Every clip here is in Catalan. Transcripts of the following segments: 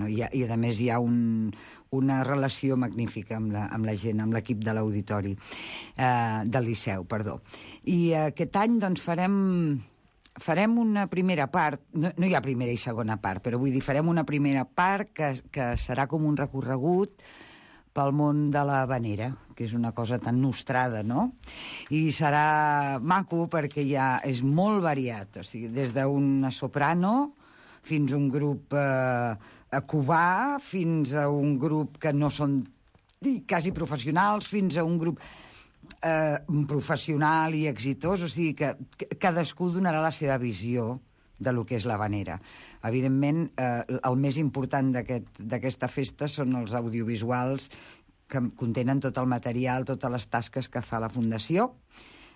i a més hi ha una relació magnífica amb la gent, amb l'equip de l'auditori, del Liceu, perdó. I aquest any doncs farem una primera part, no hi ha primera i segona part, però vull dir, farem una primera part que serà com un recorregut pel món de la vanera, que és una cosa tan nostrada, no? I serà maco perquè és molt variat, o sigui, des d'una soprano fins a un grup cubà, fins a un grup que no són quasi professionals, fins a un grup professional i exitós, o sigui que cadascú donarà la seva visió de lo que és la vanera. Evidentment, el més important d'aquesta festa són els audiovisuals que contenen tot el material, totes les tasques que fa la Fundació.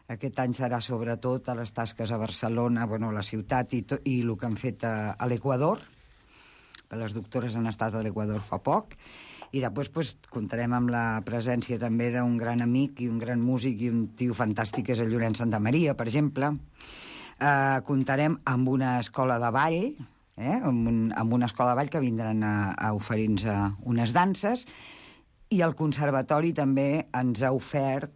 Aquest any serà sobretot a les tasques a Barcelona, a la ciutat, i el que han fet a l'Equador, que les doctores han estat a l'Equador fa poc, i després comptarem amb la presència també d'un gran amic i un gran músic i un tio fantàstic, que és el Llorenç Santamaria, per exemple. Comptarem amb una escola de ball, amb una escola de ball que vindran a oferir-nos unes danses, i el conservatori també ens ha ofert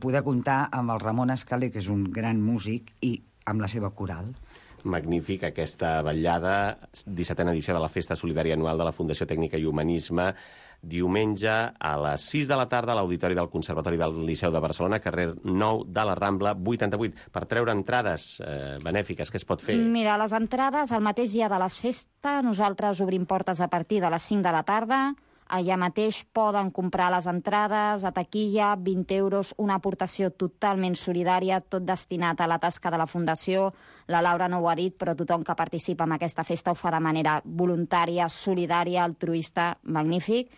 poder comptar amb el Ramon Escalé, que és un gran músic, i amb la seva coral. Magnífic, aquesta vetllada, 17a edició de la Festa Solidària Anual de la Fundació Tècnica i Humanisme, diumenge a les 6 de la tarda a l'Auditori del Conservatori del Liceu de Barcelona, carrer 9 de la Rambla, 88. Per treure entrades benèfiques, què es pot fer? Mira, les entrades, el mateix dia de les festes, nosaltres obrim portes a partir de les 5 de la tarda. Allà mateix poden comprar les entrades a taquilla, 20 euros, una aportació totalment solidària, tot destinat a la tasca de la Fundació. La Laura no ho ha dit, però tothom que participa en aquesta festa ho fa de manera voluntària, solidària, altruista, magnífic.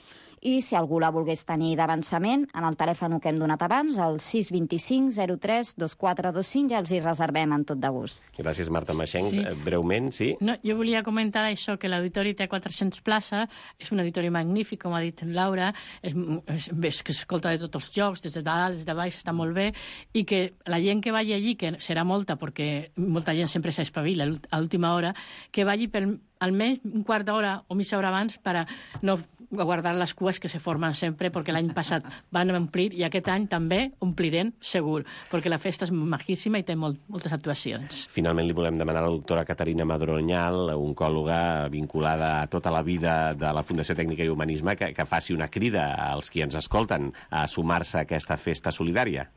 I si algú la volgués tenir d'avançament, en el telèfon que hem donat abans, el 625 03 2425, ja els hi reservem amb tot de gust. Gràcies, Marta Maxencs. Sí. Breument, sí? No, jo volia comentar això, que l'auditori té 400 places, és un auditori magnífic, com ha dit en Laura, és que s'escolta de tots els jocs, des de dalt, des de baix, està molt bé, i que la gent que vagi allí, que serà molta, perquè molta gent sempre s'espavila a l'última hora, que vagi per almenys un quart d'hora o mitja hora abans per a no guardar les cues que se formen sempre, perquè l'any passat van omplir i aquest any també omplirem segur, perquè la festa és majíssima i té moltes actuacions. Finalment li volem demanar a la doctora Caterina Madronyal, oncòloga vinculada a tota la vida de la Fundació Tècnica i Humanisme, que faci una crida als qui ens escolten a sumar-se a aquesta festa solidària.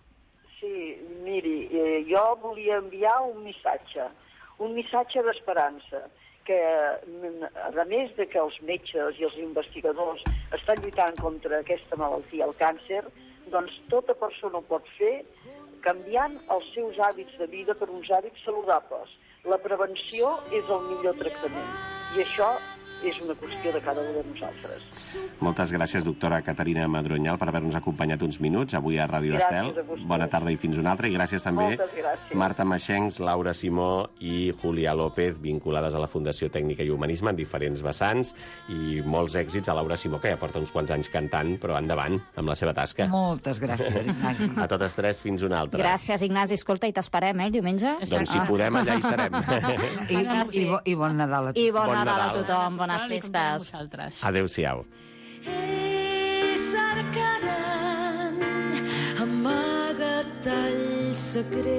Sí, miri, jo volia enviar un missatge d'esperança, que a més de que els metges i els investigadors estan lluitant contra aquesta malaltia, el càncer, doncs tota persona ho pot fer canviant els seus hàbits de vida per uns hàbits saludables. La prevenció és el millor tractament i això és una qüestió de cada un de nosaltres. Moltes gràcies, doctora Caterina Madronyal, per haver-nos acompanyat uns minuts avui a Ràdio Estel. Bona tarda i fins una altra. I gràcies també Marta Maxencs, Laura Simó i Julià López, vinculades a la Fundació Tècnica i Humanisme en diferents vessants, i molts èxits a Laura Simó, que ja porta uns quants anys cantant, però endavant amb la seva tasca. Moltes gràcies, Ignasi. A totes tres, fins una altra. Gràcies, Ignasi. Escolta, i t'esperem, el diumenge? Doncs si podem, allà hi serem. I bon Nadal a tothom. I bon Nadal a tothom. Bones festes. Adéu-siau. Cercaran amagat els secrets,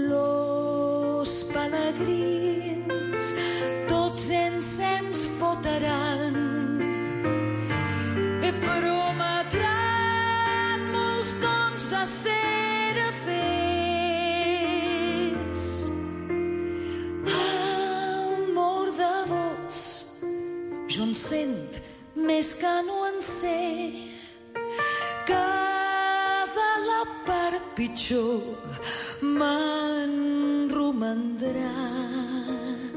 los pelegrins tots encens votaran i prometran molts dons de ser fets. Jo en sent més que no en sé, cada la part pitjor me'n romandrà.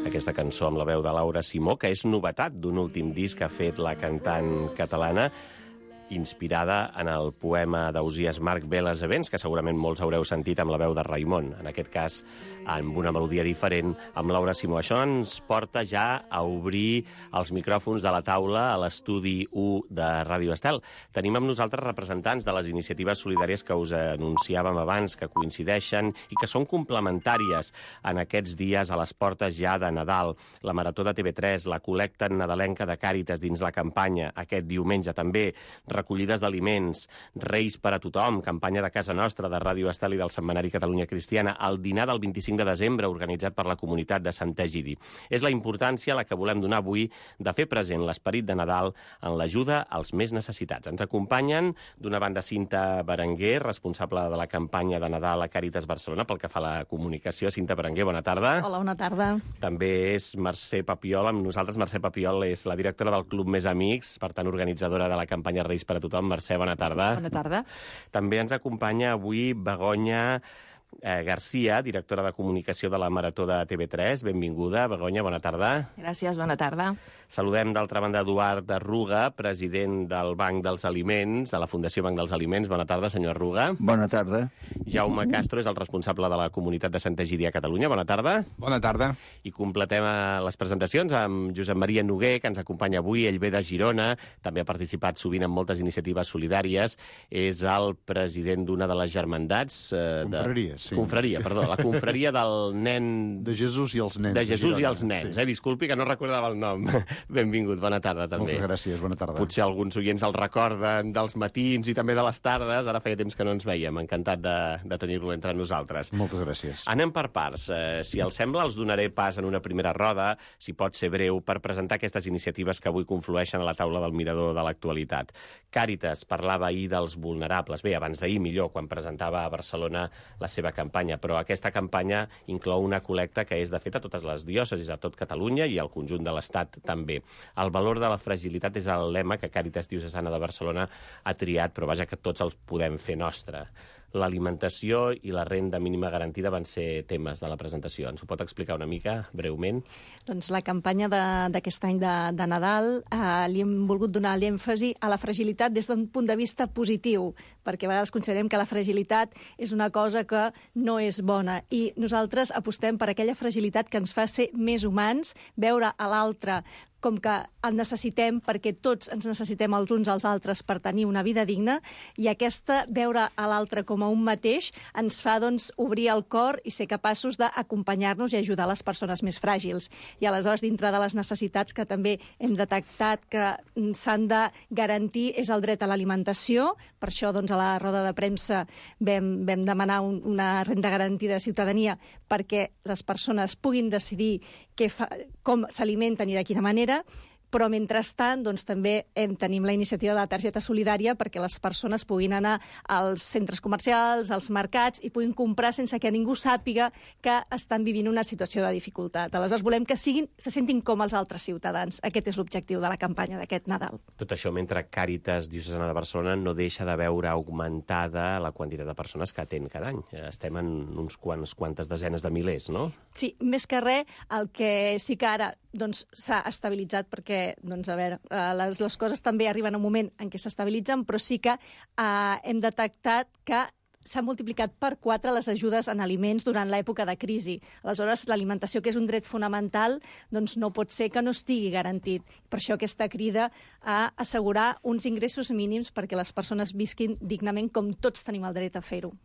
Aquesta cançó amb la veu de Laura Simó, que és novetat d'un últim disc que ha fet la cantant catalana, inspirada en el poema d'Ausiàs Marc Veles Events, que segurament molts haureu sentit amb la veu de Raimon, en aquest cas amb una melodia diferent, amb Laura Simó. Això ens porta ja a obrir els micròfons de la taula a l'estudi 1 de Ràdio Estel. Tenim amb nosaltres representants de les iniciatives solidàries que us anunciàvem abans, que coincideixen i que són complementàries en aquests dies a les portes ja de Nadal. La Marató de TV3, la col·lecta nadalenca de Càritas dins la campanya, aquest diumenge també, recollides d'aliments, Reis per a tothom, campanya de casa nostra, de Ràdio Estel i del Setmanari Catalunya Cristiana, el dinar del 25 de desembre organitzat per la comunitat de Sant Egidi. És la importància a la que volem donar avui de fer present l'esperit de Nadal en l'ajuda als més necessitats. Ens acompanyen d'una banda Cinta Berenguer, responsable de la campanya de Nadal a Càritas Barcelona pel que fa a la comunicació. Cinta Berenguer, bona tarda. Hola, bona tarda. També és Mercè Papiol amb nosaltres. Mercè Papiol és la directora del Club Més Amics, per tant organitzadora de la campanya Reis per a tothom. Mercè, bona tarda. Bona tarda. També ens acompanya avui Begoña Garcia, directora de comunicació de la Marató de TV3. Benvinguda, Begoña, bona tarda. Gràcies, bona tarda. Saludem, d'altra banda, Eduard Arruga, president del Banc dels Aliments, de la Fundació Banc dels Aliments. Bona tarda, senyor Arruga. Bona tarda. Jaume Castro és el responsable de la comunitat de Sant Egidi a Catalunya. Bona tarda. Bona tarda. I completem les presentacions amb Josep Maria Noguer, que ens acompanya avui. Ell ve de Girona, també ha participat sovint en moltes iniciatives solidàries. És el president d'una de les germandats... Confraria, sí. Confraria, perdó. La confraria del nen... De Jesús i els nens. De Jesús i els nens. Sí. Disculpi, que no recordava el nom. Benvingut, bona tarda, també. Moltes gràcies, bona tarda. Potser alguns oients el recorden dels matins i també de les tardes. Ara feia temps que no ens veiem. Encantat de tenir-lo entre nosaltres. Moltes gràcies. Anem per parts. Si els sembla, els donaré pas en una primera roda, si pot ser breu, per presentar aquestes iniciatives que avui conflueixen a la taula del mirador de l'actualitat. Càritas parlava ahir dels vulnerables. Bé, abans d'ahir, millor, quan presentava a Barcelona la seva campanya. Però aquesta campanya inclou una col·lecta que és, de fet, a totes les diòcesis, a tot Catalunya i al conjunt de l'Estat també. El valor de la fragilitat és el lema que Càritas Diocesana de Barcelona ha triat, però vaja que tots els podem fer nostre. L'alimentació i la renda mínima garantida van ser temes de la presentació. Ens ho pot explicar una mica, breument? Doncs la campanya d'aquest any de Nadal li hem volgut donar l'èmfasi a la fragilitat des d'un punt de vista positiu, perquè a vegades considerem que la fragilitat és una cosa que no és bona, i nosaltres apostem per aquella fragilitat que ens fa ser més humans, veure a l'altre com que el necessitem perquè tots ens necessitem els uns als altres per tenir una vida digna, i aquesta veure a l'altre com a un mateix ens fa, doncs, obrir el cor i ser capaços d'acompanyar-nos i ajudar les persones més fràgils. I aleshores, dintre de les necessitats que també hem detectat que s'han de garantir és el dret a l'alimentació. Per això, doncs, a la roda de premsa vam demanar una renda garantida de ciutadania perquè les persones puguin decidir com s'alimenten i de quina manera, però mentrestant doncs, també tenim la iniciativa de la targeta solidària perquè les persones puguin anar als centres comercials, als mercats, i puguin comprar sense que ningú sàpiga que estan vivint una situació de dificultat. Aleshores volem que se sentin com els altres ciutadans. Aquest és l'objectiu de la campanya d'aquest Nadal. Tot això mentre Càritas Diocesana de Barcelona no deixa de veure augmentada la quantitat de persones que atén cada any. Estem en uns quantes desenes de milers, no? Sí, més que res, el que sí que ara doncs, s'ha estabilitzat perquè, doncs, a veure, les coses també arriben a un moment en què s'estabilitzen, però sí que hem detectat que s'ha multiplicat per 4 les ajudes en aliments durant l'època de crisi. Aleshores, l'alimentació, que és un dret fonamental, doncs no pot ser que no estigui garantit. Per això aquesta crida a assegurar uns ingressos mínims perquè les persones visquin dignament, com tots tenim el dret a fer-ho.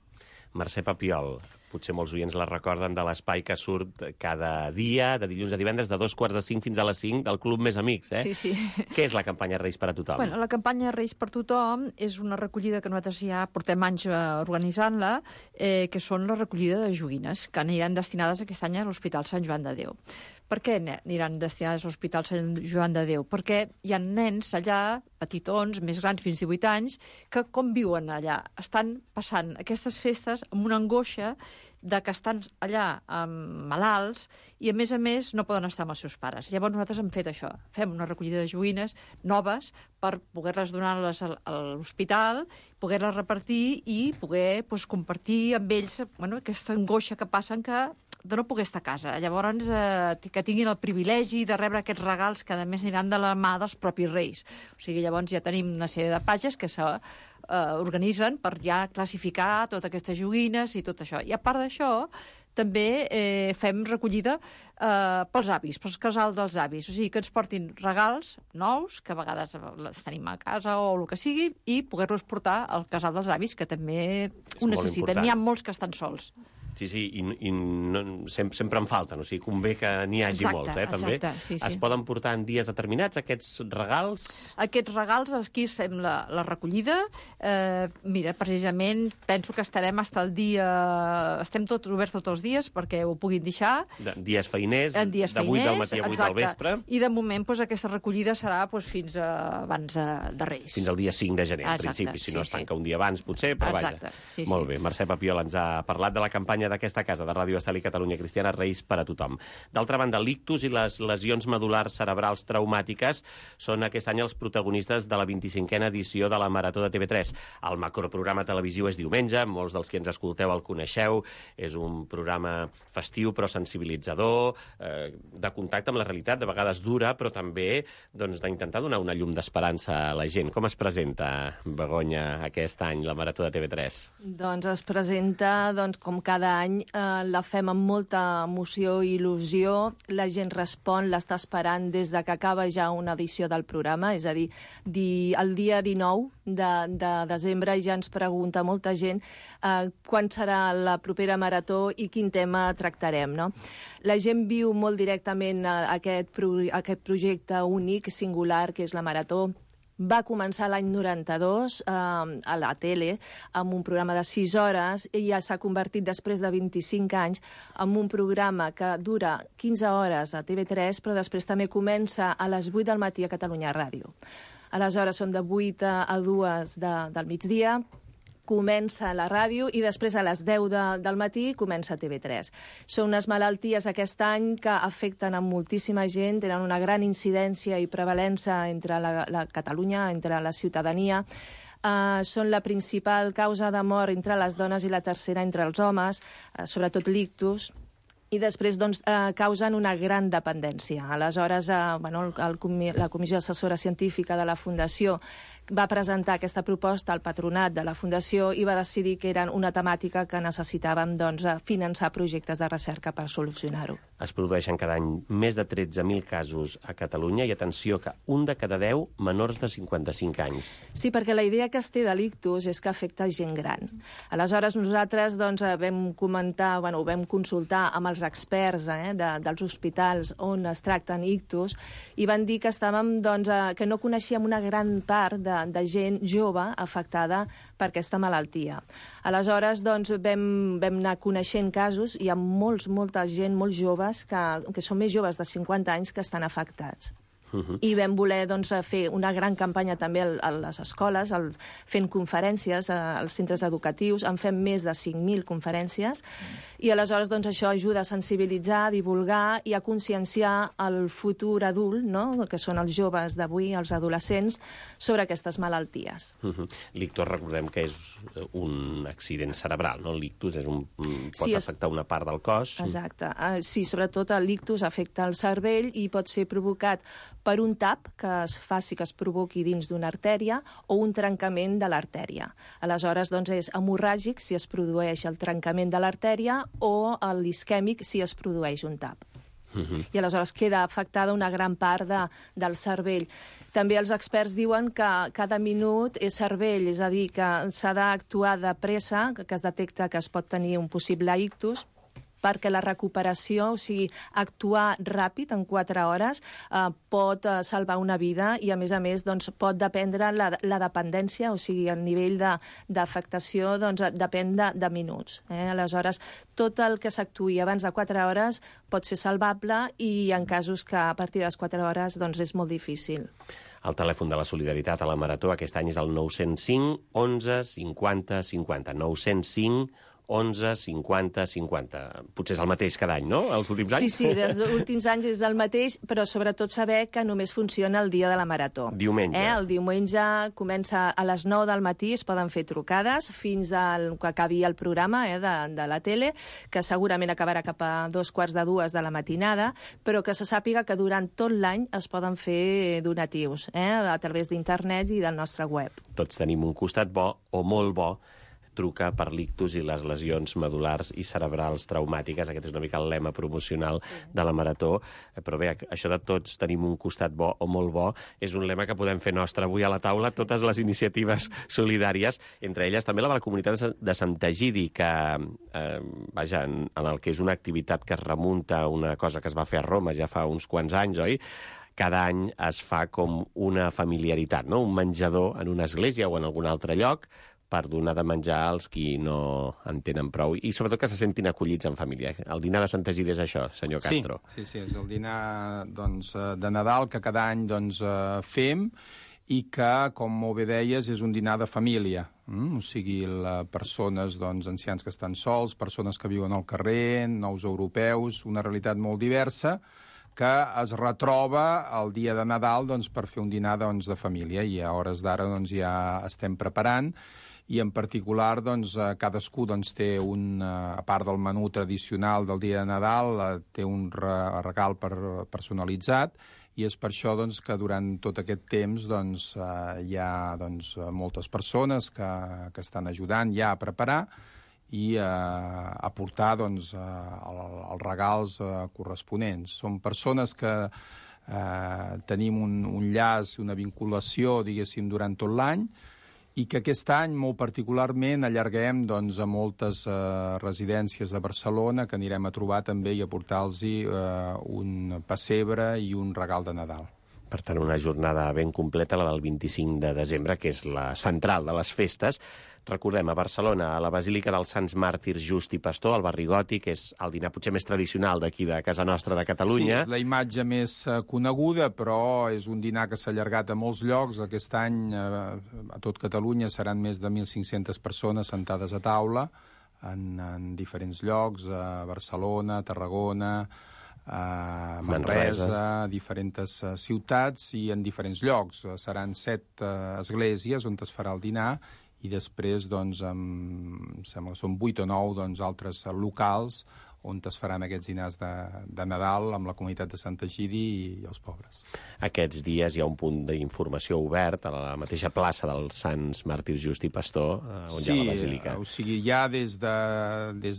Mercè Papiol, potser molts oients la recorden de l'espai que surt cada dia, de dilluns a divendres, de 2:45 fins a les 5, del Club Més Amics, eh? Sí, sí. Què és la campanya Reis per a tothom? Bueno, la campanya Reis per tothom és una recollida que nosaltres ja portem anys organitzant-la, que són la recollida de joguines, que aniran destinades aquest any a l'Hospital Sant Joan de Déu. Per què aniran destinades a l'Hospital Sant Joan de Déu? Perquè hi ha nens allà, petitons, més grans, fins 18 anys, que com viuen allà? Estan passant aquestes festes amb una angoixa de que estan allà malalts i, a més, no poden estar amb els seus pares. Llavors nosaltres hem fet això. Fem una recollida de joguines noves per poder-les donar a l'hospital, poder-les repartir i poder compartir amb ells aquesta angoixa que passen que de no poder estar a casa. Llavors, que tinguin el privilegi de rebre aquests regals que, a més, aniran de la mà dels propis reis. O sigui, llavors ja tenim una sèrie de pages que s'organitzen per ja classificar totes aquestes joguines i tot això. I a part d'això, també fem recollida pels avis, pels casals dels avis. O sigui, que ens portin regals nous, que a vegades els tenim a casa o el que sigui, i poder-los portar al casal dels avis, que també ho necessiten. N'hi ha molts que estan sols. Sí, i sempre en falten, o sigui, convé que n'hi hagi molts, també. Sí. Es poden portar en dies determinats, aquests regals? Aquests regals, aquí fem la recollida. Mira, precisament, penso que estarem fins al dia... Estem tots oberts tots els dies perquè ho puguin deixar. Dies feiners, de 8 del matí a 8 del vespre. I de moment, aquesta recollida serà fins abans de Reis. Fins al dia 5 de gener, en principi. Si no es tanca un dia abans, potser, però vaja. Molt bé, Mercè Papiol ens ha parlat de la campanya d'aquesta casa de Ràdio Estel i Catalunya Cristiana, Reis per a tothom. D'altra banda, l'ictus i les lesions medul·lars cerebrals traumàtiques són aquest any els protagonistes de la 25a edició de la Marató de TV3. El macroprograma televisiu és diumenge, molts dels que ens escolteu el coneixeu, és un programa festiu però sensibilitzador, de contacte amb la realitat, de vegades dura, però també d'intentar donar una llum d'esperança a la gent. Com es presenta, Begoña, aquest any la Marató de TV3? Doncs es presenta, com cada any, la fem amb molta emoció i il·lusió. La gent respon, l'està esperant des de que acaba ja una edició del programa, és a dir, el dia 19 de desembre ja ens pregunta molta gent quan serà la propera marató i quin tema tractarem, no? La gent viu molt directament aquest projecte únic, singular, que és la marató. Va començar l'any 92 a la tele amb un programa de 6 hores i ja s'ha convertit després de 25 anys en un programa que dura 15 hores a TV3, però després també comença a les 8 del matí a Catalunya Ràdio. Aleshores són de 8 a 2 del migdia, comença la ràdio i després a les 10 del matí comença TV3. Són unes malalties aquest any que afecten a moltíssima gent, tenen una gran incidència i prevalença entre la Catalunya, entre la ciutadania. Són la principal causa de mort entre les dones i la tercera entre els homes, sobretot l'ictus, i després causen una gran dependència. Aleshores, la Comissió Assessora Científica de la Fundació va presentar aquesta proposta al patronat de la Fundació i va decidir que era una temàtica que necessitàvem finançar projectes de recerca per solucionar-ho. Es produeixen cada any més de 13.000 casos a Catalunya i atenció que un de cada 10 menors de 55 anys. Sí, perquè la idea que es té de l'ictus és que afecta gent gran. Aleshores nosaltres vam consultar amb els experts dels hospitals on es tracten ictus i van dir que estàvem que no coneixíem una gran part de gent jove afectada per aquesta malaltia. Aleshores, vam anar coneixent casos i hi ha molta gent molt joves que són més joves de 50 anys que estan afectats. I vam voler fer una gran campanya també a les escoles, fent conferències als centres educatius, en fem més de 5.000 conferències, i aleshores això ajuda a sensibilitzar, a divulgar i a conscienciar el futur adult, que són els joves d'avui, els adolescents, sobre aquestes malalties. L'ictus, recordem que és un accident cerebral, no? L'ictus pot afectar una part del cos. Exacte. Sí, sobretot l'ictus afecta el cervell i pot ser provocat per un tap que es provoqui dins d'una artèria o un trencament de l'artèria. Aleshores, és hemorràgic si es produeix el trencament de l'artèria o l'isquèmic si es produeix un tap. I aleshores queda afectada una gran part del cervell. També els experts diuen que cada minut és cervell, és a dir, que s'ha d'actuar de pressa, que es detecta que es pot tenir un possible ictus, perquè la recuperació, o sigui, actuar ràpid en 4 hores, pot salvar una vida i, a més, pot dependre la dependència, o sigui, el nivell d'afectació depèn de minuts. Aleshores, tot el que s'actuï abans de 4 hores pot ser salvable i en casos que a partir de les 4 hores és molt difícil. El telèfon de la solidaritat a la Marató aquest any és el 905 11 50 50. 905 11 50 50. Potser és el mateix cada any, no?, els últims anys? Sí, dels últims anys és el mateix, però sobretot saber que només funciona el dia de la marató. Diumenge. El diumenge comença a les 9 del matí, es poden fer trucades fins al que acabi el programa de la tele, que segurament acabarà cap a 2:45 de la matinada, però que se sàpiga que durant tot l'any es poden fer donatius a través d'internet i del nostre web. Tots tenim un costat bo o molt bo. Truca per l'ictus i les lesions medulars i cerebrals traumàtiques. Aquest és una mica el lema promocional de la Marató. Però bé, això de tots tenim un costat bo o molt bo és un lema que podem fer nostre avui a la taula, totes les iniciatives solidàries, entre elles també la de la comunitat de Sant Egidi, que, vaja, en el que és una activitat que es remunta a una cosa que es va fer a Roma ja fa uns quants anys, oi? Cada any es fa com una familiaritat, no? Un menjador en una església o en algun altre lloc per donar de menjar als qui no en tenen prou i sobretot que se sentin acollits en família. El dinar de Sant Egidi és això, senyor Castro. Sí, és el dinar de Nadal que cada any fem i que, com molt bé deies, és un dinar de família. O sigui, persones ancians que estan sols, persones que viuen al carrer, nous europeus, una realitat molt diversa que es retroba el dia de Nadal per fer un dinar de família i a hores d'ara ja estem preparant i en particular cadascú té a part del menú tradicional del dia de Nadal, té un regal personalitzat i és per això que durant tot aquest temps hi ha moltes persones que estan ajudant ja a preparar i a portar els regals corresponents. Són persones que tenim un llaç, una vinculació, diguéssim, durant tot l'any i que aquest any, molt particularment, allarguem a moltes residències de Barcelona que anirem a trobar també i a portar-los un pessebre i un regal de Nadal. Per tant, una jornada ben completa, la del 25 de desembre, que és la central de les festes. Recordem, a Barcelona, a la Basílica dels Sants Màrtirs Just i Pastor, al barri Gòtic, que és el dinar potser més tradicional d'aquí de casa nostra, de Catalunya. Sí, és la imatge més coneguda, però és un dinar que s'ha allargat a molts llocs. Aquest any, a tot Catalunya, seran més de 1.500 persones sentades a taula en diferents llocs, a Barcelona, a Tarragona, a Manresa, a diferents ciutats i en diferents llocs. Seran 7 esglésies on es farà el dinar i després, em sembla que són 8 o 9 altres locals on es faran aquests dinars de Nadal amb la comunitat de Sant Egidi i els pobres. Aquests dies hi ha un punt d'informació obert a la mateixa plaça dels Sants Màrtirs Just i Pastor, on hi ha la basílica. Sí, o sigui, ja des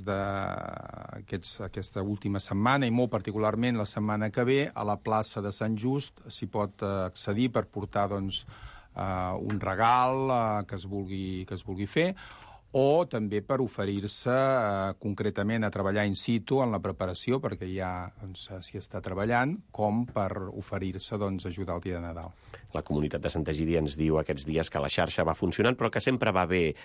d'aquesta última setmana, i molt particularment la setmana que ve, a la plaça de Sant Just s'hi pot accedir per portar, un regal que es vulgui fer, o també per oferir-se concretament a treballar in situ en la preparació, perquè ja s'hi està treballant, com per oferir-se a ajudar el dia de Nadal. La comunitat de Sant Egidi ens diu aquests dies que la xarxa va funcionant, però que sempre va bé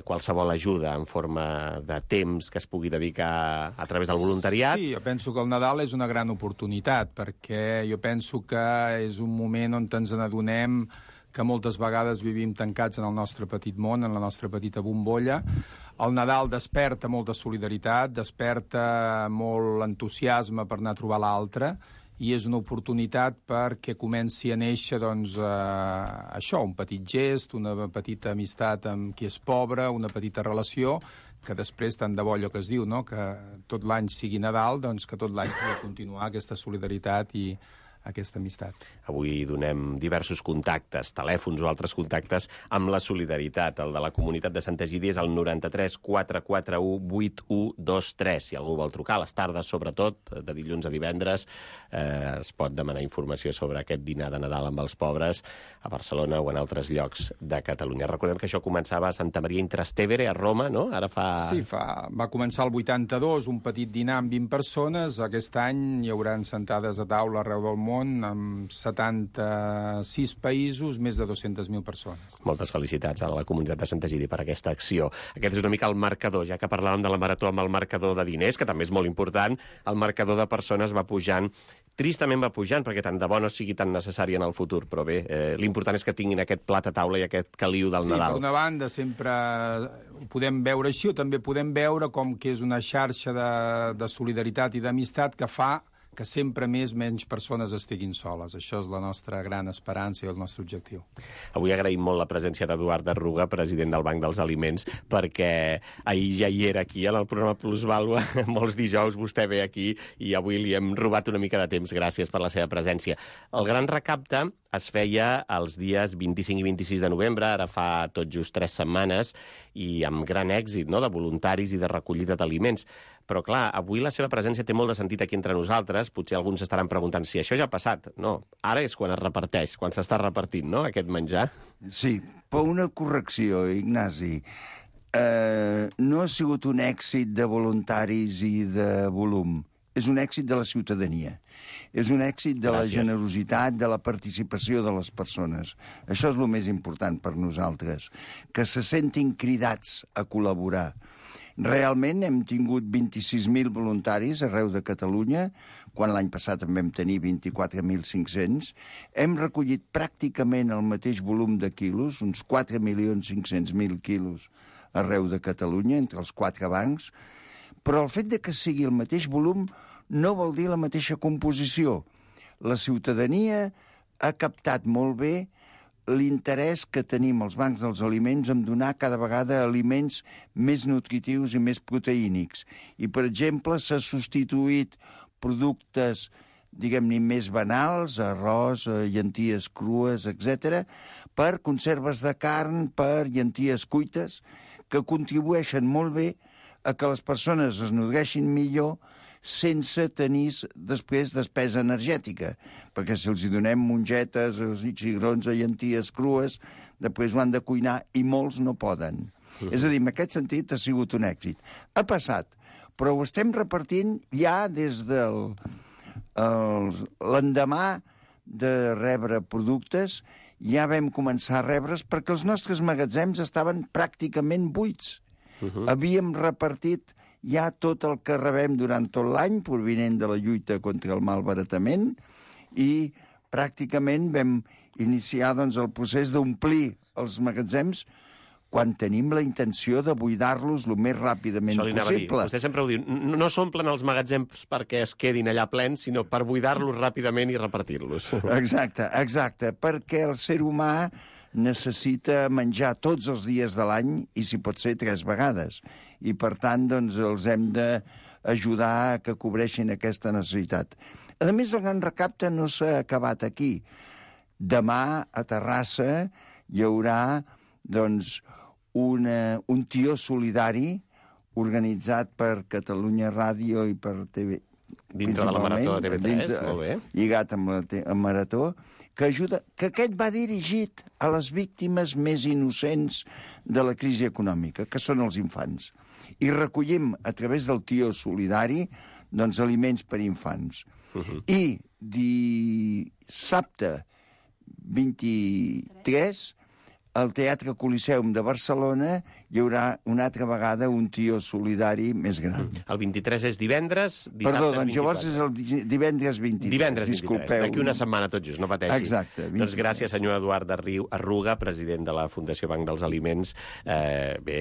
qualsevol ajuda en forma de temps que es pugui dedicar a través del voluntariat. Sí, jo penso que el Nadal és una gran oportunitat, perquè jo penso que és un moment on ens n'adonem que moltes vegades vivim tancats en el nostre petit món, en la nostra petita bombolla. El Nadal desperta molta solidaritat, desperta molt entusiasme per anar a trobar l'altre, i és una oportunitat perquè comenci a néixer això, un petit gest, una petita amistat amb qui és pobre, una petita relació, que després, tant de bo allò que es diu, no? Que tot l'any sigui Nadal, que tot l'any pugui continuar aquesta solidaritat i aquesta amistat. Avui donem diversos contactes, telèfons o altres contactes amb la solidaritat. El de la comunitat de Sant Egidi és el 93 441 8123. Si algú vol trucar a les tardes, sobretot, de dilluns a divendres, es pot demanar informació sobre aquest dinar de Nadal amb els pobres a Barcelona o en altres llocs de Catalunya. Recordem que això començava a Santa Maria in Trastevere, a Roma, no? Ara fa... Sí, va començar el 82, un petit dinar amb 20 persones. Aquest any hi haurà sentades a taula arreu del món, amb 76 països, més de 200.000 persones. Moltes felicitats a la comunitat de Sant Egidi per aquesta acció. Aquest és una mica el marcador, ja que parlàvem de la Marató amb el marcador de diners, que també és molt important, el marcador de persones va pujant tristament va pujant, perquè tant de bo no sigui tan necessari en el futur, però bé, l'important és que tinguin aquest plat a taula i aquest caliu del Nadal. Sí, per una banda sempre ho podem veure així, o també podem veure com que és una xarxa de solidaritat i d'amistat que fa que sempre menys persones estiguin soles. Això és la nostra gran esperança i el nostre objectiu. Avui agraïm molt la presència d'Eduard Arruga, president del Banc dels Aliments, perquè ahir ja hi era aquí, en el programa Plusvàlua. Molts dijous vostè ve aquí i avui li hem robat una mica de temps. Gràcies per la seva presència. El gran recapte es feia els dies 25 i 26 de novembre, ara fa tot just 3 setmanes, i amb gran èxit, no?, de voluntaris i de recollida d'aliments. Però, clar, avui la seva presència té molt de sentit aquí entre nosaltres. Potser alguns estaran preguntant si això ja ha passat. No, ara és quan es reparteix, quan s'està repartint, no?, aquest menjar. Sí, però una correcció, Ignasi. No ha sigut un èxit de voluntaris i de volum. És un èxit de la ciutadania. És un èxit de la generositat, de la participació de les persones. Això és el més important per nosaltres, que se sentin cridats a col·laborar. Realment hem tingut 26.000 voluntaris arreu de Catalunya, quan l'any passat en vam tenir 24.500. Hem recollit pràcticament el mateix volum de quilos, uns 4.500.000 quilos arreu de Catalunya, entre els 4 bancs, però el fet de que sigui el mateix volum no vol dir la mateixa composició. La ciutadania ha captat molt bé l'interès que tenim els bancs dels aliments en donar cada vegada aliments més nutritius i més proteínics. I, per exemple, s'ha substituït productes, diguem-ne, més banals, arròs, llenties crues, etc., per conserves de carn, per llenties cuites, que contribueixen molt bé a que les persones es nodreixin millor sense tenir després despesa energètica, perquè si els hi donem mongetes, cigrons o llenties crues, després ho han de cuinar i molts no poden. És a dir, en aquest sentit ha sigut un èxit. Ha passat, però ho estem repartint ja des de l'endemà de rebre productes, ja vam començar a rebre's perquè els nostres magatzems estaven pràcticament buits. Havíem repartit ja tot el que rebem durant tot l'any, provinent de la lluita contra el malbaratament, i pràcticament vam iniciar el procés d'omplir els magatzems quan tenim la intenció de buidar-los el més ràpidament possible. Vostè sempre ho diu, no s'omplen els magatzems perquè es quedin allà plens, sinó per buidar-los ràpidament i repartir-los. Exacte, perquè el ser humà necessita menjar tots els dies de l'any i, si pot ser, 3 vegades. I, per tant, els hem d'ajudar a que cobreixin aquesta necessitat. A més, el gran recapte no s'ha acabat aquí. Demà, a Terrassa, hi haurà, un tió solidari organitzat per Catalunya Ràdio i per TV... Dintre de la Marató de TV3, molt bé. Lligat amb la Marató, que ajuda, que aquest va dirigit a les víctimes més innocents de la crisi econòmica, que són els infants. I recollim, a través del tió solidari, aliments per infants. I dissabte 23, al Teatre Coliseum de Barcelona hi haurà una altra vegada un tió solidari més gran. El 23 és divendres, dissabte Perdó, 24. Llavors és el divendres 23. Divendres 23, disculpeu. d'aquí una setmana tot just, no pateixi. Exacte. 23. Doncs gràcies, senyor Eduard Arruga, president de la Fundació Banc dels Aliments. Bé,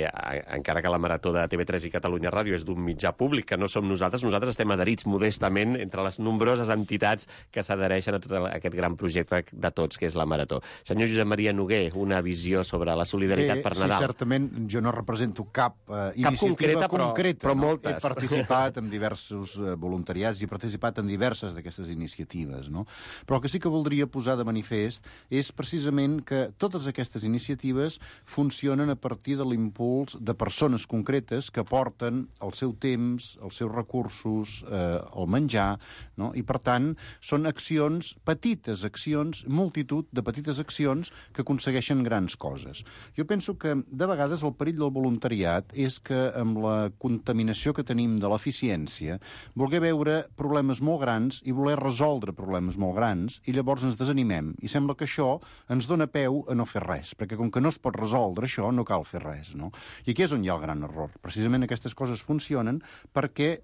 encara que la Marató de TV3 i Catalunya Ràdio és d'un mitjà públic, que no som nosaltres estem adherits modestament entre les nombroses entitats que s'adhereixen a tot aquest gran projecte de tots, que és la Marató. Senyor Josep Maria Noguer, una visió sobre la solidaritat per Nadal. Sí, certament, jo no represento cap iniciativa concreta, però moltes. He participat en diversos voluntariats i he participat en diverses d'aquestes iniciatives, no? Però el que sí que voldria posar de manifest és precisament que totes aquestes iniciatives funcionen a partir de l'impuls de persones concretes que porten el seu temps, els seus recursos, el menjar, no? I per tant són accions, petites accions, multitud de petites accions que aconsegueixen grans coses. Jo penso que de vegades el perill del voluntariat és que amb la contaminació que tenim de l'eficiència voler veure problemes molt grans i voler resoldre problemes molt grans i llavors ens desanimem i sembla que això ens dona peu a no fer res, perquè com que no es pot resoldre això no cal fer res, no? I aquí és on hi ha el gran error. Precisament aquestes coses funcionen perquè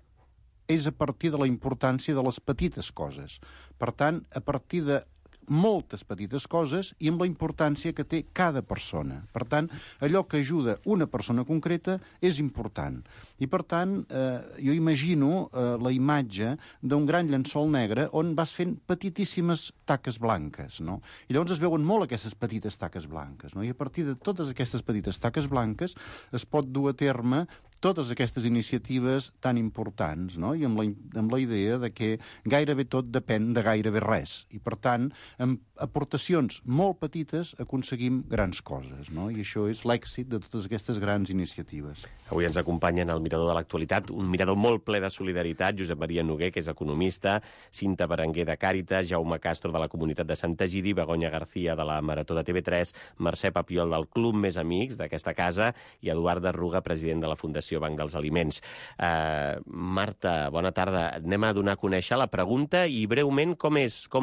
és a partir de la importància de les petites coses. Per tant, a partir de moltes petites coses i amb la importància que té cada persona. Per tant, allò que ajuda una persona concreta és important. I, per tant, jo imagino la imatge d'un gran llençol negre on vas fent petitíssimes taques blanques, no? I llavors es veuen molt aquestes petites taques blanques, no? I a partir de totes aquestes petites taques blanques es pot dur a terme totes aquestes iniciatives tan importants, no? I amb la idea de que gairebé tot depèn de gairebé res. I, per tant, amb aportacions molt petites aconseguim grans coses, no? I això és l'èxit de totes aquestes grans iniciatives. Avui ens acompanya en el Mirador de l'Actualitat, un mirador molt ple de solidaritat, Josep Maria Noguer, que és economista, Cinta Berenguer de Càritas, Jaume Castro de la Comunitat de Santa Giri, Begoña García de la Marató de TV3, Mercè Papiol del Club Més Amics d'aquesta casa i Eduard Arruga, president de la Fundació Banc dels Aliments. Marta, bona tarda. Anem a donar a conèixer la pregunta i breument com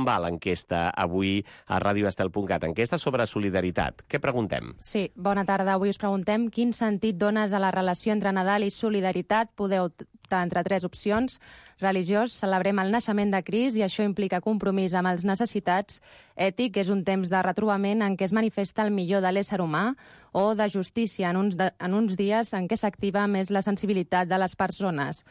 va l'enquesta avui a radioestel.cat. Enquesta sobre solidaritat. Què preguntem? Sí, bona tarda. Avui us preguntem quin sentit dones a la relació entre Nadal i solidaritat. Podeu optar entre 3 opcions. Religiós, celebrem el naixement de Crist i això implica compromís amb els necessitats. Ètic, és un temps de retrobament en què es manifesta el millor de l'ésser humà. O de justícia, en uns dies en què s'activa més la sensibilitat de les persones.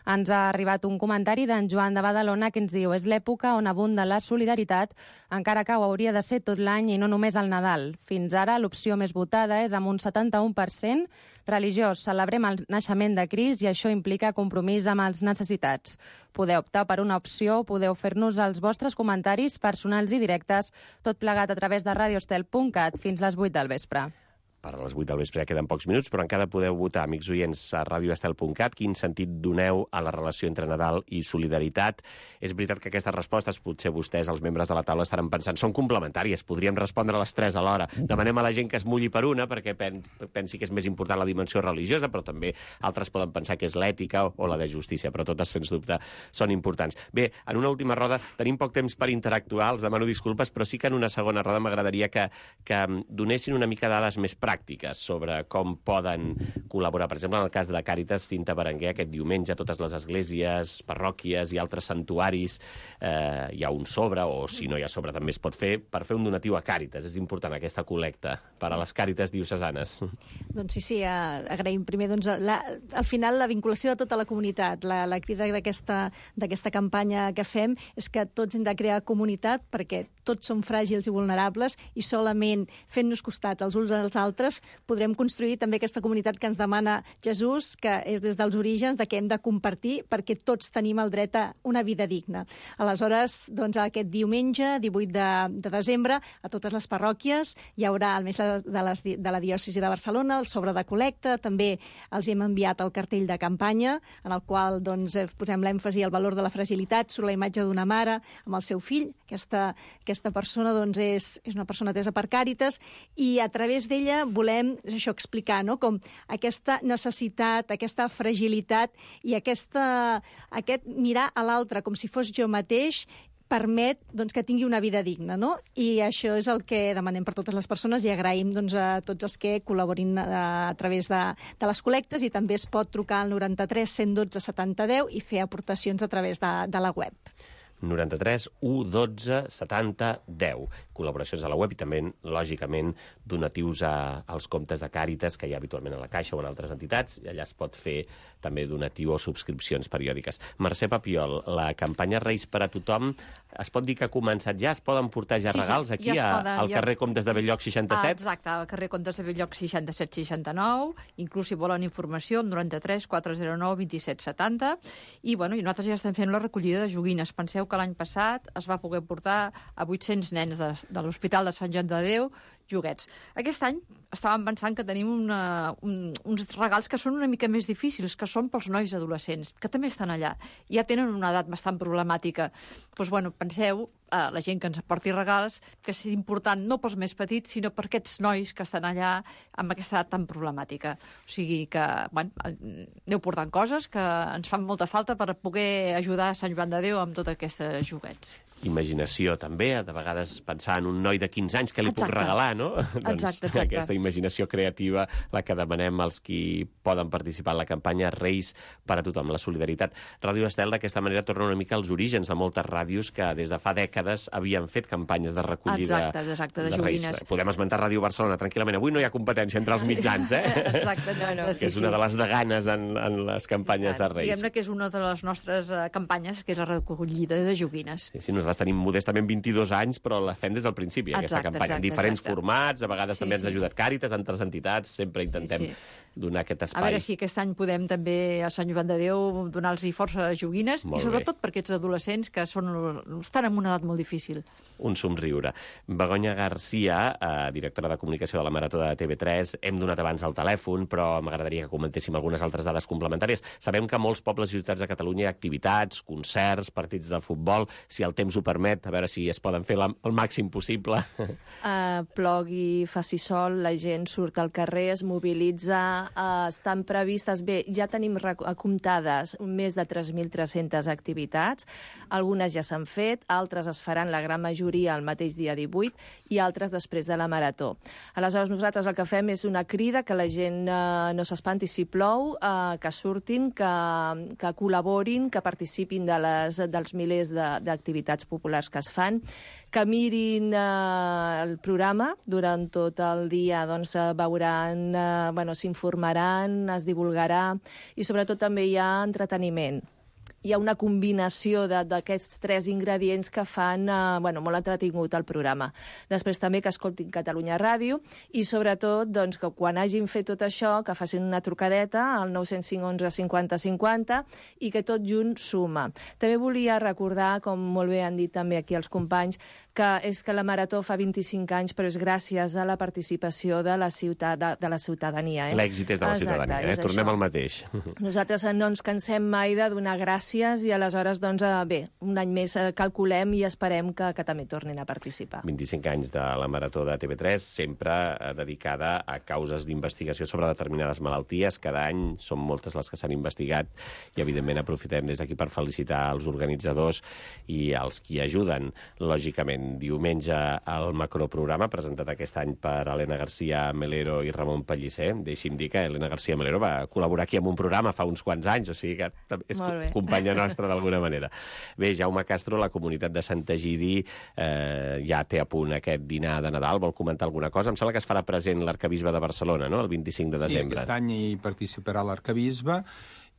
Ens ha arribat un comentari d'en Joan de Badalona que ens diu: és l'època on abunda la solidaritat, encara que ho hauria de ser tot l'any i no només al Nadal. Fins ara l'opció més votada és amb un 71%. Religiós, celebrem el naixement de Crist i això implica compromís amb els necessitats. Podeu optar per una opció o podeu fer-nos els vostres comentaris personals i directes, tot plegat a través de radioestel.cat fins les 8 del vespre. Per a les 8 del vespre ja queden pocs minuts, però encara podeu votar, amics oients, a radioestel.cat, quin sentit doneu a la relació entre Nadal i solidaritat. És veritat que aquestes respostes, potser vostès, els membres de la taula, estaran pensant, són complementàries, podríem respondre a les 3 alhora. Demanem a la gent que es mulli per una, perquè pensi que és més important la dimensió religiosa, però també altres poden pensar que és l'ètica o la de justícia, però totes, sens dubte, són importants. Bé, en una última roda tenim poc temps per interactuar, els demano disculpes, però sí que en una segona roda m'agradaria que donessin una mica dades més pràctiques sobre com poden col·laborar. Per exemple, en el cas de Càritas, Cinta Berenguer, aquest diumenge, totes les esglésies, parròquies i altres santuaris hi ha un sobre, o si no hi ha sobre també es pot fer, per fer un donatiu a Càritas. És important aquesta col·lecta per a les Càritas diocesanes. Doncs sí, agraïm primer al final la vinculació de tota la comunitat. La crida d'aquesta campanya que fem és que tots hem de crear comunitat perquè tots som fràgils i vulnerables i solament fent-nos costat els uns als altres podrem construir també aquesta comunitat que ens demana Jesús, que és des dels orígens de que hem de compartir perquè tots tenim el dret a una vida digna. Aleshores, doncs, aquest diumenge, 18 de desembre, a totes les parròquies hi haurà el mes de la diòcesi de Barcelona, el sobre de col·lecta, també els hem enviat el cartell de campanya, en el qual doncs, posem l'èmfasi al valor de la fragilitat, sobre la imatge d'una mare amb el seu fill. Aquesta persona doncs, és una persona atesa per Càritas i a través d'ella volem explicar, no? Com aquesta necessitat, aquesta fragilitat i aquest mirar a l'altre com si fos jo mateix permet doncs, que tingui una vida digna, no? I això és el que demanem per totes les persones i agraïm doncs, a tots els que col·laborin a través de les col·lectes i també es pot trucar al 93 112 70 10 i fer aportacions a través de la web. 93 112 70 10. Col·laboracions a la web i també, lògicament, donatius als comptes de Càritas que hi ha habitualment a la Caixa o en altres entitats, i allà es pot fer també donatiu o subscripcions periòdiques. Mercè Papiol, la campanya Reis per a tothom, es pot dir que ha començat ja? Es poden portar ja regals aquí al carrer Comtes de Belllloc 67? Exacte, al carrer Comtes de Belllloc 67-69, inclús si volen informació, 93 409 27 70, i nosaltres ja estem fent la recollida de joguines. Penseu que l'any passat es va poder portar a 800 nens de l'Hospital de Sant Joan de Déu joguets. Aquest any estàvem pensant que tenim uns regals que són una mica més difícils, que són pels nois adolescents, que també estan allà. Ja tenen una edat bastant problemàtica. Doncs, penseu, la gent que ens aporti regals, que és important no pels més petits, sinó per aquests nois que estan allà amb aquesta edat tan problemàtica. O sigui que, aneu portant coses que ens fan molta falta per poder ajudar a Sant Joan de Déu amb tots aquests joguets. imaginació també, de vegades pensar en un noi de 15 anys que li puc regalar, no? Exacte. Aquesta imaginació creativa, la que demanem als qui poden participar en la campanya Reis per a tothom, la solidaritat. Ràdio Estel d'aquesta manera torna una mica als orígens de moltes ràdios que des de fa dècades havien fet campanyes de recollida de Reis. joguines. Podem esmentar Ràdio Barcelona tranquil·lament. Avui no hi ha competència entre els mitjans, Exacte. Que és una de les deganes en les campanyes de Reis. Diguem-ne que és una de les nostres campanyes, que és la recollida de joguines. Sí, nosaltres tenim modestament 22 anys, però la fem des del principi, aquesta campanya. En diferents formats, a vegades també ens ha ajudat Càritas, altres entitats, sempre intentem donar aquest espai. A veure si aquest any podem també a Sant Joan de Déu donar-los força joguines, i sobretot per aquests adolescents que estan en una edat molt difícil. Un somriure. Begoña Garcia, directora de comunicació de la Marató de TV3, hem donat abans el telèfon, però m'agradaria que comentéssim algunes altres dades complementàries. Sabem que a molts pobles i ciutats de Catalunya hi ha activitats, concerts, partits de futbol, si el temps ho permet, a veure si es poden fer el màxim possible. Plogui, faci sol, la gent surt al carrer, es mobilitza, estan previstes, bé, ja tenim comptades més de 3.300 activitats, algunes ja s'han fet, altres es faran la gran majoria el mateix dia 18 i altres després de la Marató. Aleshores, nosaltres el que fem és una crida que la gent no s'espanti si plou, que surtin, que col·laborin, que participin dels milers d'activitats populars que es fan, que mirin el programa durant tot el dia, doncs veuran, s'informaran, es divulgarà i sobretot també hi ha entreteniment. Hi ha una combinació d'aquests 3 ingredients que fan molt entretingut el programa. Després també que escoltin Catalunya Ràdio i sobretot doncs, que quan hagin fet tot això que facin una trucadeta al 905 11 50 50 i que tot junt suma. També volia recordar, com molt bé han dit també aquí els companys, que la Marató fa 25 anys, però és gràcies a la participació de la ciutadania. L'èxit és de la ciutadania, tornem al mateix. Nosaltres no ens cansem mai de donar gràcies i aleshores, doncs, un any més calculem i esperem que també tornin a participar. 25 anys de la Marató de TV3, sempre dedicada a causes d'investigació sobre determinades malalties. Cada any són moltes les que s'han investigat i, evidentment, aprofitem des d'aquí per felicitar els organitzadors i els qui ajuden, lògicament. Diumenge el macroprograma presentat aquest any per Elena García Melero i Ramon Pellicer. Deixi'm dir que Elena García Melero va col·laborar aquí en un programa fa uns quants anys, o sigui que és companya nostra d'alguna manera. Bé, Jaume Castro, la comunitat de Sant Egidi ja té a punt aquest dinar de Nadal. Vol comentar alguna cosa? Em sembla que es farà present l'arcabisbe de Barcelona, no?, el 25 de desembre. Sí, aquest any hi participarà l'arcabisbe.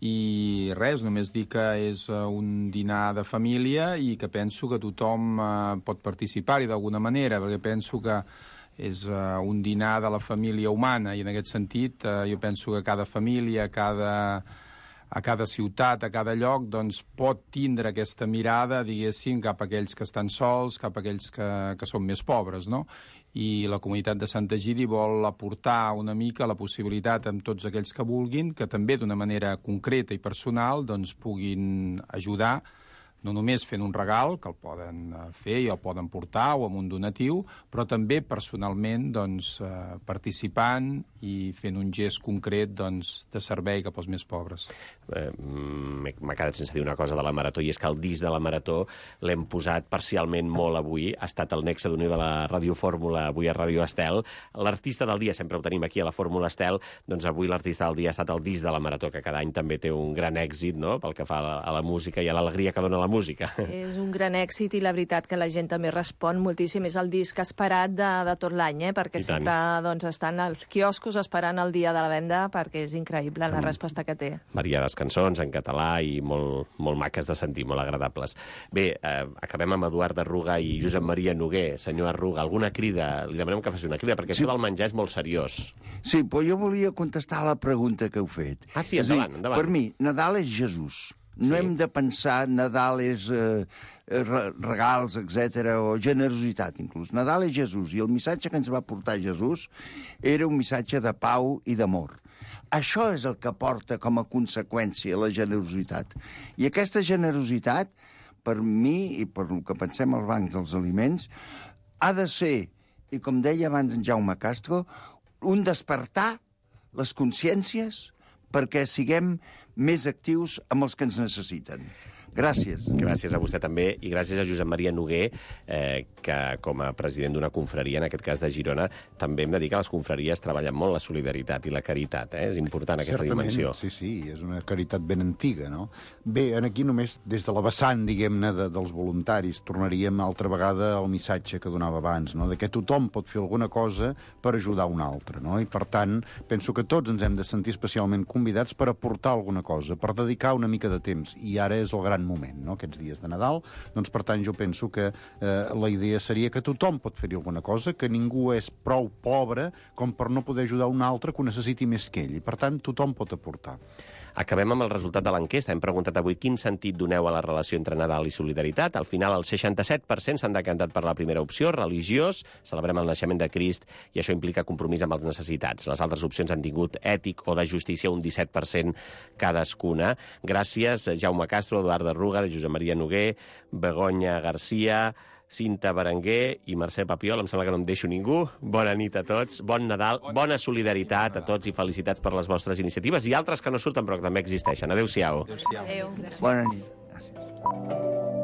I res, només dir que és un dinar de família i que penso que tothom pot participar-hi d'alguna manera, perquè penso que és un dinar de la família humana i en aquest sentit jo penso que cada família, a cada ciutat, a cada lloc, doncs pot tindre aquesta mirada, diguéssim, cap a aquells que estan sols, cap a aquells que són més pobres, no? I la comunitat de Sant Egidi vol aportar una mica la possibilitat amb tots aquells que vulguin, que també d'una manera concreta i personal doncs puguin ajudar, no només fent un regal, que el poden fer i el poden portar, o amb un donatiu, però també personalment doncs, participant i fent un gest concret doncs, de servei cap als més pobres. M'ha quedat sense dir una cosa de la Marató, i és que el disc de la Marató l'hem posat parcialment molt avui. Ha estat el nexe d'unió de la Radiofórmula avui a Ràdio Estel. L'artista del dia, sempre ho tenim aquí a la Fórmula Estel, doncs avui l'artista del dia ha estat el disc de la Marató, que cada any també té un gran èxit, no?, pel que fa a la música i a l'alegria que dona la música. És un gran èxit i la veritat que la gent també respon moltíssim. És el disc esperat de tot l'any, perquè sempre doncs, estan als quioscos esperant el dia de la venda, perquè és increïble la resposta que té. Variades cançons en català i molt maques de sentir, molt agradables. Bé, acabem amb Eduard Arruga i Josep Maria Noguer. Senyor Arruga, alguna crida? Li demanem que faci una crida, perquè això del menjar és molt seriós. Sí, però jo volia contestar a la pregunta que heu fet. Ah, sí, endavant. Per mi, Nadal és Jesús. No hem de pensar Nadal és regals, etc o generositat, inclús. Nadal és Jesús, i el missatge que ens va portar Jesús era un missatge de pau i d'amor. Això és el que porta com a conseqüència la generositat. I aquesta generositat, per mi, i per el que pensem als bancs dels aliments, ha de ser, i com deia abans en Jaume Castro, un despertar les consciències perquè siguem més actius amb els que ens necessiten. Gràcies. Gràcies a vostè també, i gràcies a Josep Maria Noguer, que com a president d'una confraria, en aquest cas de Girona, també hem de dir que les confraries treballen molt la solidaritat i la caritat. És important aquesta dimensió. Sí, és una caritat ben antiga, no? Bé, aquí només des de la vessant, diguem-ne, dels voluntaris, tornaríem altra vegada al missatge que donava abans, no? De que tothom pot fer alguna cosa per ajudar un altre, no? I per tant, penso que tots ens hem de sentir especialment convidats per aportar alguna cosa, per dedicar una mica de temps, i ara és el gran moment, no?, aquests dies de Nadal. Doncs, per tant, jo penso que la idea seria que tothom pot fer-hi alguna cosa, que ningú és prou pobre com per no poder ajudar un altre que ho necessiti més que ell, i per tant, tothom pot aportar. Acabem amb el resultat de l'enquesta. Hem preguntat avui quin sentit doneu a la relació entre Nadal i solidaritat. Al final, el 67% s'han decantat per la primera opció, religiós, celebrem el naixement de Crist, i això implica compromís amb els necessitats. Les altres opcions han tingut ètic o de justícia, un 17% cadascuna. Gràcies, Jaume Castro, Eduard de Ruga, Josep Maria Noguer, Begoña Garcia, Cinta Berenguer i Mercè Papiol. Em sembla que no em deixo ningú. Bona nit a tots, bon Nadal, bona solidaritat a tots i felicitats per les vostres iniciatives i altres que no surten però que també existeixen. Adéu-siau. Adéu. Bona nit. Gràcies.